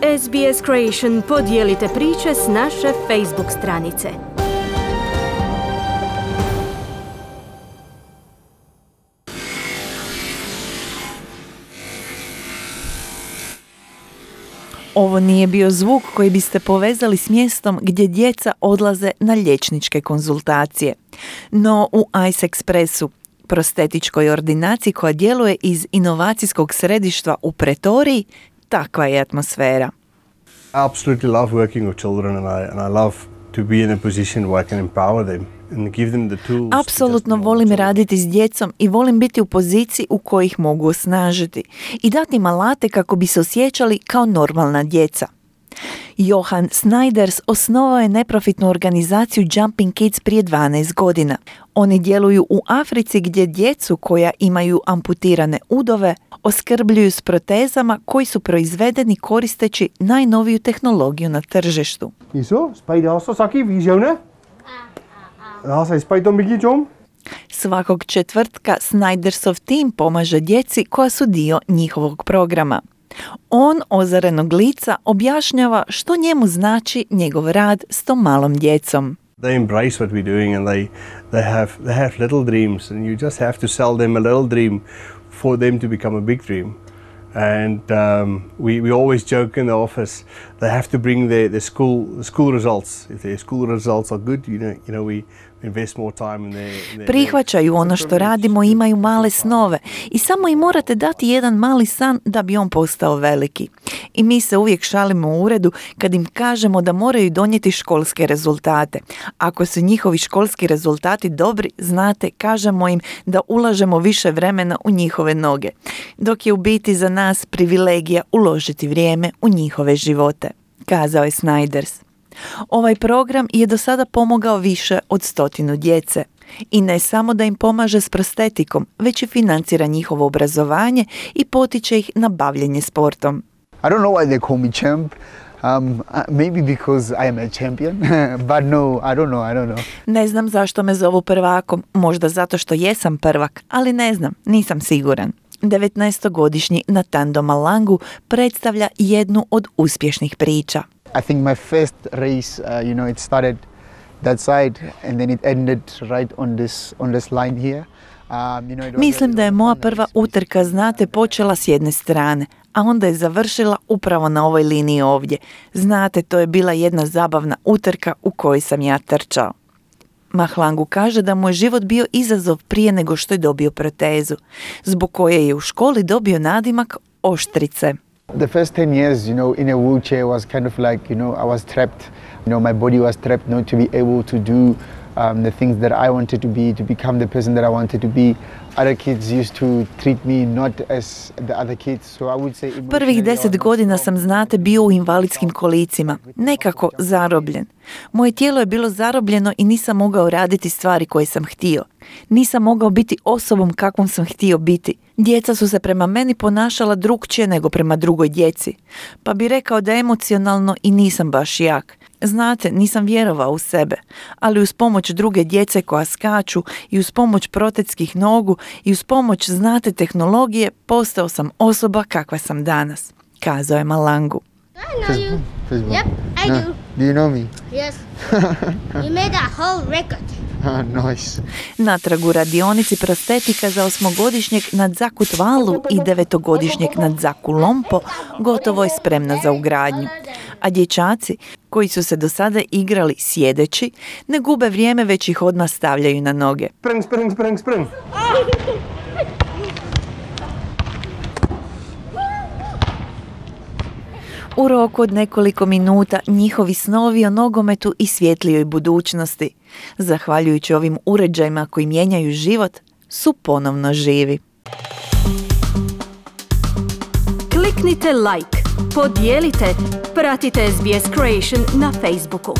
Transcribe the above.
SBS Creation, podijelite priče s naše Facebook stranice. Ovo nije bio zvuk koji biste povezali s mjestom gdje djeca odlaze na liječničke konzultacije. No u Ice Expressu, prostetičkoj ordinaciji koja djeluje iz inovacijskog središta u Pretoriji, takva je atmosfera. I absolutely love working with children and I love to be in a position where I can empower them and give them the tools. Apsolutno volim raditi s djecom i volim biti u poziciji u kojoj ih mogu osnažiti i dati im alate kako bi se osjećali kao normalna djeca. Johan Snijders osnovao je neprofitnu organizaciju Jumping Kids prije 12 godina. Oni djeluju u Africi gdje djecu koja imaju amputirane udove oskrbljuju s protezama koji su proizvedeni koristeći najnoviju tehnologiju na tržištu. Svakog četvrtka Snijdersov tim pomaže djeci koja su dio njihovog programa. On ozarenog lica objašnjava što njemu znači njegov rad s tom malom djecom. They embrace what we're doing and they have little dreams and you just have to sell them a little dream for them to become a big dream. And we always joke in the office they have to bring the school results. If their school results are good, you know we invest more time in their prihvaćaju ono što radimo, imaju male snove i samo im morate dati jedan mali san da bi on postao veliki. I mi se uvijek šalimo u uredu kad im kažemo da moraju donijeti školske rezultate. Ako su njihovi školski rezultati dobri, znate, kažemo im da ulažemo više vremena u njihove noge, dok je u biti za nas privilegija uložiti vrijeme u njihove živote, kazao je Snijders. Ovaj program je do sada pomogao više od 100 djece. I ne samo da im pomaže s prostetikom, već i financira njihovo obrazovanje i potiče ih na bavljenje sportom. I don't know why they call me champ. Maybe because I am a champion, but no, I don't know. Ne znam zašto me zovu prvakom, možda zato što jesam prvak, ali ne znam, nisam siguran. 19-godišnji Natando Malangu predstavlja jednu od uspješnih priča. I think my first race, it started that side and then it ended right on this line here. Mislim da je moja prva utrka, znate, počela s jedne strane, a onda je završila upravo na ovoj liniji ovdje. Znate, to je bila jedna zabavna utrka u kojoj sam ja trčao. Mahlangu kaže da mu je život bio izazov prije nego što je dobio protezu, zbog koje je u školi dobio nadimak Oštrice. The first 10 years, in a wheelchair was kind of like, I was trapped. My body was trapped not to be able to do the things that I wanted to be, to become the person that I wanted to be. Other kids used to treat me not as the other kids, so I would say... Prvih 10 godina sam, znate, bio u invalidskim kolicima, nekako zarobljen. Moje tijelo je bilo zarobljeno i nisam mogao raditi stvari koje sam htio. Nisam mogao biti osobom kakvom sam htio biti. Djeca su se prema meni ponašala drukčije nego prema drugoj djeci. Pa bi rekao da emocionalno i nisam baš jak. Znate, nisam vjerovao u sebe, ali uz pomoć druge djece koja skaču i uz pomoć protetskih nogu i uz pomoć, znate, tehnologije, postao sam osoba kakva sam danas, kazao je Malangu. I know you. Facebook. Yep, I do. Do you know me? Yes. You made a whole record. Nice. Natrag u radionici prostetika za 8-godišnjeg Nadzaku Tvalu i 9-godišnjeg Nadzaku Lompo gotovo je spremna za ugradnju. A dječaci, koji su se do sada igrali sjedeći, ne gube vrijeme, već ih odmah stavljaju na noge. Spring. U roku od nekoliko minuta njihovi snovi o nogometu i svjetlijoj budućnosti, zahvaljujući ovim uređajima koji mijenjaju život, su ponovno živi. Kliknite like, podijelite, pratite SBS Creation na Facebooku.